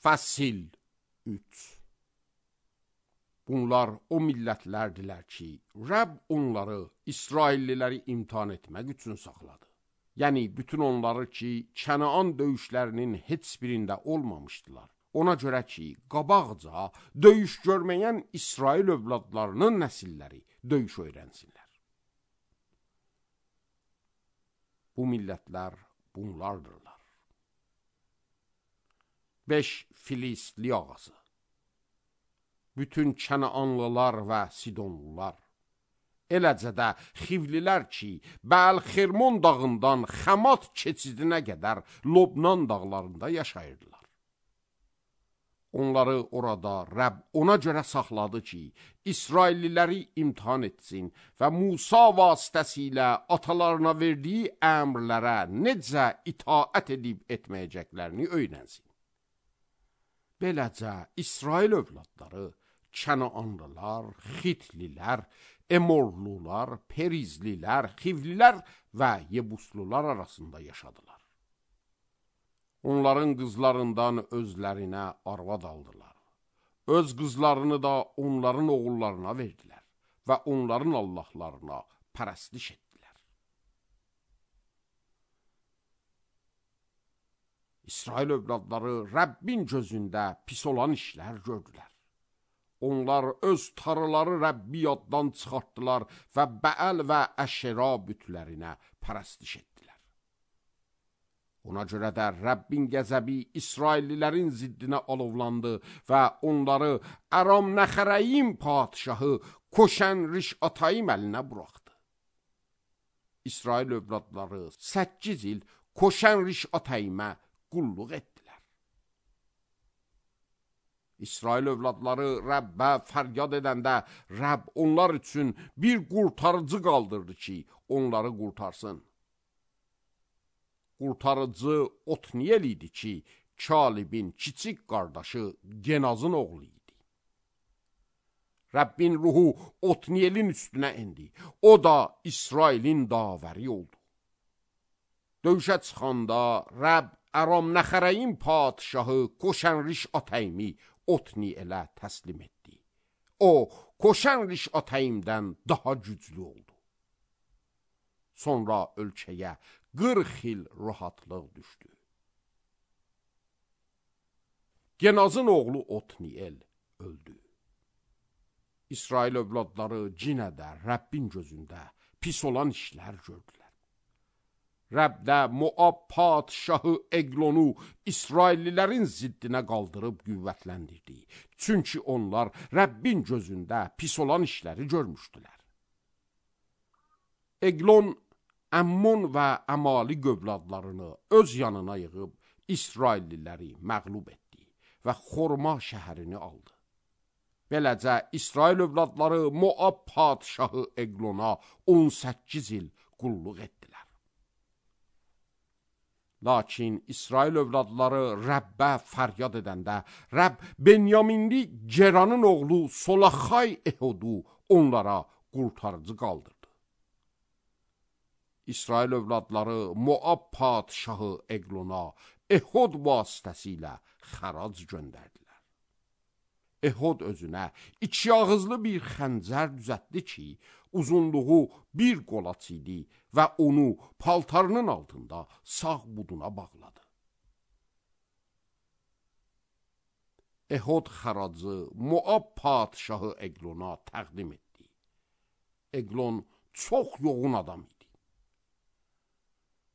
Fəsil 3. Bunlar o millətlərdilər ki, Rəbb onları, İsrailliləri imtihan etmək üçün saxladı. Yəni, bütün onları ki, Kənaan döyüşlərinin heç birində olmamışdılar. Ona görə ki, qabaqca döyüş görməyən İsrail övladlarının nəsilləri döyüş öyrənsinlər. Bu millətlər bunlardırlar. 5 Filistli ağası. Bütün Kənaanlılar və Sidonlular, eləcə də Xivlilər ki, Bəl-Xirmon dağından Xəmat keçidinə qədər Lobnan dağlarında yaşayırdılar. Onları orada Rəbb ona görə saxladı ki, İsrailliləri imtihan etsin və Musa vasitəsilə atalarına verdiyi əmrlərə necə itaət edib etməyəcəklərini öyrənsin. Beləcə İsrail övladları Kənaanlılar, Xitlilər, Emorlular, Perizlilər, Xivlilər və Yebuslular arasında yaşadılar. Onların qızlarından özlərinə arvad aldılar. Öz qızlarını da onların oğullarına verdilər və onların allahlarına pərəstiş etdilər. İsrail övladları Rəbbin gözündə pis olan işlər gördülər. Onlar öz tarıları Rəbbi yaddan çıxartdılar və Bəəl və Əşera bütlərinə pərəstiş etdilər. Ona görə də Rəbbin qəzəbi İsraillilərin ziddinə alovlandı və onları Aram Nəxərəyim padişahı Koşən Rişatayim əlinə buraxdı. İsrail övladları 8 il Koşən Rişatayimə qulluq etdilər. İsrail övladları Rəbbə fəryad edəndə Rəbb onlar üçün bir qurtarıcı qaldırdı ki, onları qurtarsın. Qurtarıcı Otniyel idi ki, Kalibin kiçik qardaşı Genazın oğlu idi. Rəbbin ruhu Otniyelin üstünə indi. O da İsrailin davəri oldu. Döyüşə çıxanda Rəbb Aram Nəxərəyim padişahı Koşən Rişatayimi Otniyelə təslim etdi. O, Koşən Rişatayimdən daha güclü oldu. Sonra ölkəyə 40 il rahatlıq düşdü. Genazın oğlu Otniyel öldü. İsrail övladları cinə də Rəbbin gözündə pis olan işlər gördülər. Rəbb də Moab padişahı Eglonu İsraillilərin ziddinə qaldırıb qüvvətləndirdi. Çünki onlar Rəbbin gözündə pis olan işləri görmüşdülər. Eglon Əmmon və Əmali övladlarını öz yanına yığıb İsrailliləri məğlub etdi və Xorma şəhərini aldı. Beləcə İsrail övladları Moab padişahı Eglona 18 il qulluq etdilər. Lakin İsrail övladları Rəbbə fəryad edəndə Rəbb Benyaminli Geranın oğlu Solaxay Ehodu onlara qurtarıcı qaldırdı. İsrail övladları Moab padişahı Eglona Ehod vasitəsilə xərac göndərdilər. Ehod özünə 2 ağızlı bir xəncər düzəltdi ki, uzunluğu 1 qolaç idi və onu paltarının altında sağ buduna bağladı. Ehod xəracı Moab padişahı Eglona təqdim etdi. Eglon çox yoğun adam idi.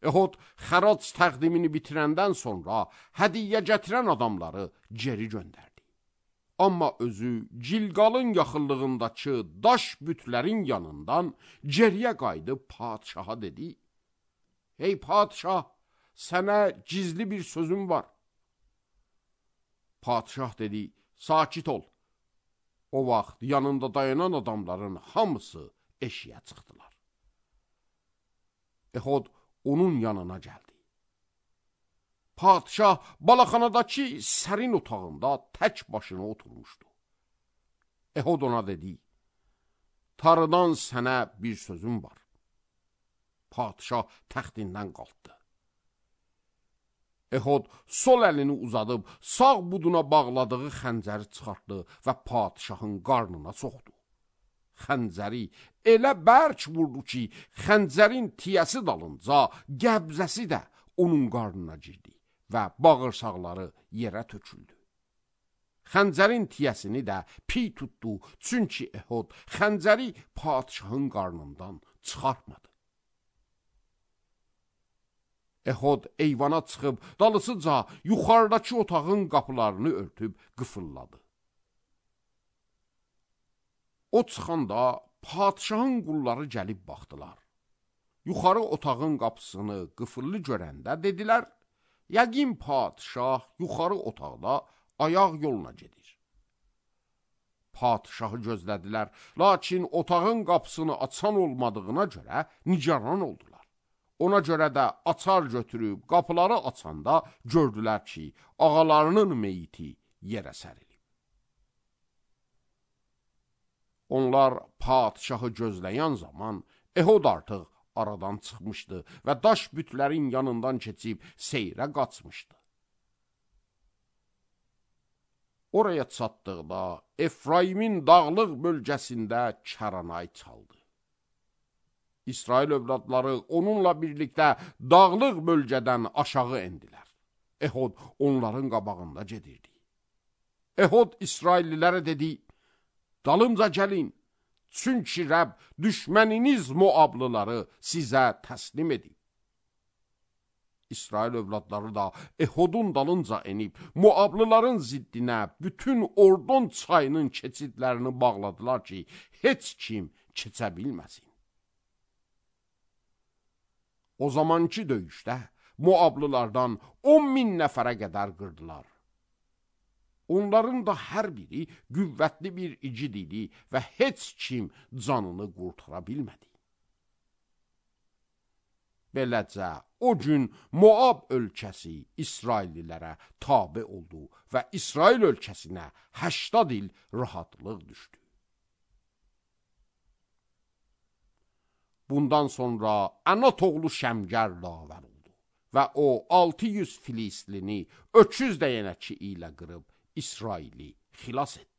Ehod xərac təqdimini bitirəndən sonra hədiyyə gətirən adamları geri göndərdi. Amma özü Cilqalın yaxınlığındakı daş bütlərin yanından geriyə qayıdıb padişaha dedi: "Ey padişah, sənə gizli bir sözüm var." Padişah dedi: "Sakit ol." O vaxt yanında dayanan adamların hamısı eşiyə çıxdılar. Ehod onun yanına gəldi. Padişah balaxanadakı sərin otağında tək başına oturmuşdu. Ehod ona dedi: "Tarıdan sənə bir sözüm var." Padişah təxtindən qalxdı. Ehud sol əlini uzadıb, sağ buduna bağladığı xəncəri çıxartdı və padişahın qarnına soxdu. Xəncəri elə bərk vurdu ki, xəncərin tiyəsi dalınca qəbzəsi də onun qarnına girdi və bağırsaqları yerə töküldü. Xəncərin tiyəsini də piy tutdu, çünki Ehud xəncəri padişahın qarnından çıxartmadı. Ehud eyvana çıxıb, dalısıca yuxarıdakı otağın qapılarını örtüb qıfılladı. O çıxanda padişahın qulları gəlib baxdılar. Yuxarı otağın qapısını qıfıllı görəndə dedilər, yəqin padişah yuxarı otaqda ayaq yoluna gedir. Padişahı gözlədilər, lakin otağın qapısını açan olmadığına görə nigaran oldular. Ona görə də açar götürüb qapıları açanda gördülər ki, ağalarının meyiti yerə sərilib. Onlar padişahı gözləyən zaman Ehud artıq aradan çıxmışdı və daş bütlərin yanından keçib seyrə qaçmışdı. Oraya çatdıqda Efraimin dağlıq bölgəsində kəranay çaldı. İsrail övladları onunla birlikdə dağlıq bölgədən aşağı endilər. Ehud onların qabağında gedirdi. Ehud İsraillilərə dedi, dalımca gəlin, çünki Rəbb düşməniniz Moablıları sizə təslim edib. İsrail övladları da Ehudun dalınca enib, Moablıların ziddinə bütün Ordon çayının keçidlərini bağladılar ki, heç kim keçə bilməsin. O zamanki döyüşdə Moablılardan 10.000 nəfərə qədər qırdılar. Onların da hər biri qüvvətli bir igid idi və heç kim canını qurtara bilmədi. Beləcə, o gün Moab ölkəsi İsraillilərə tabe oldu və İsrail ölkəsinə 80 il rahatlıq düşdü. Bundan sonra Anat oğlu Şəmgər davər oldu və o 600 Filistlini öküz dəyənəki ilə qırıb İsraili xilas etdi.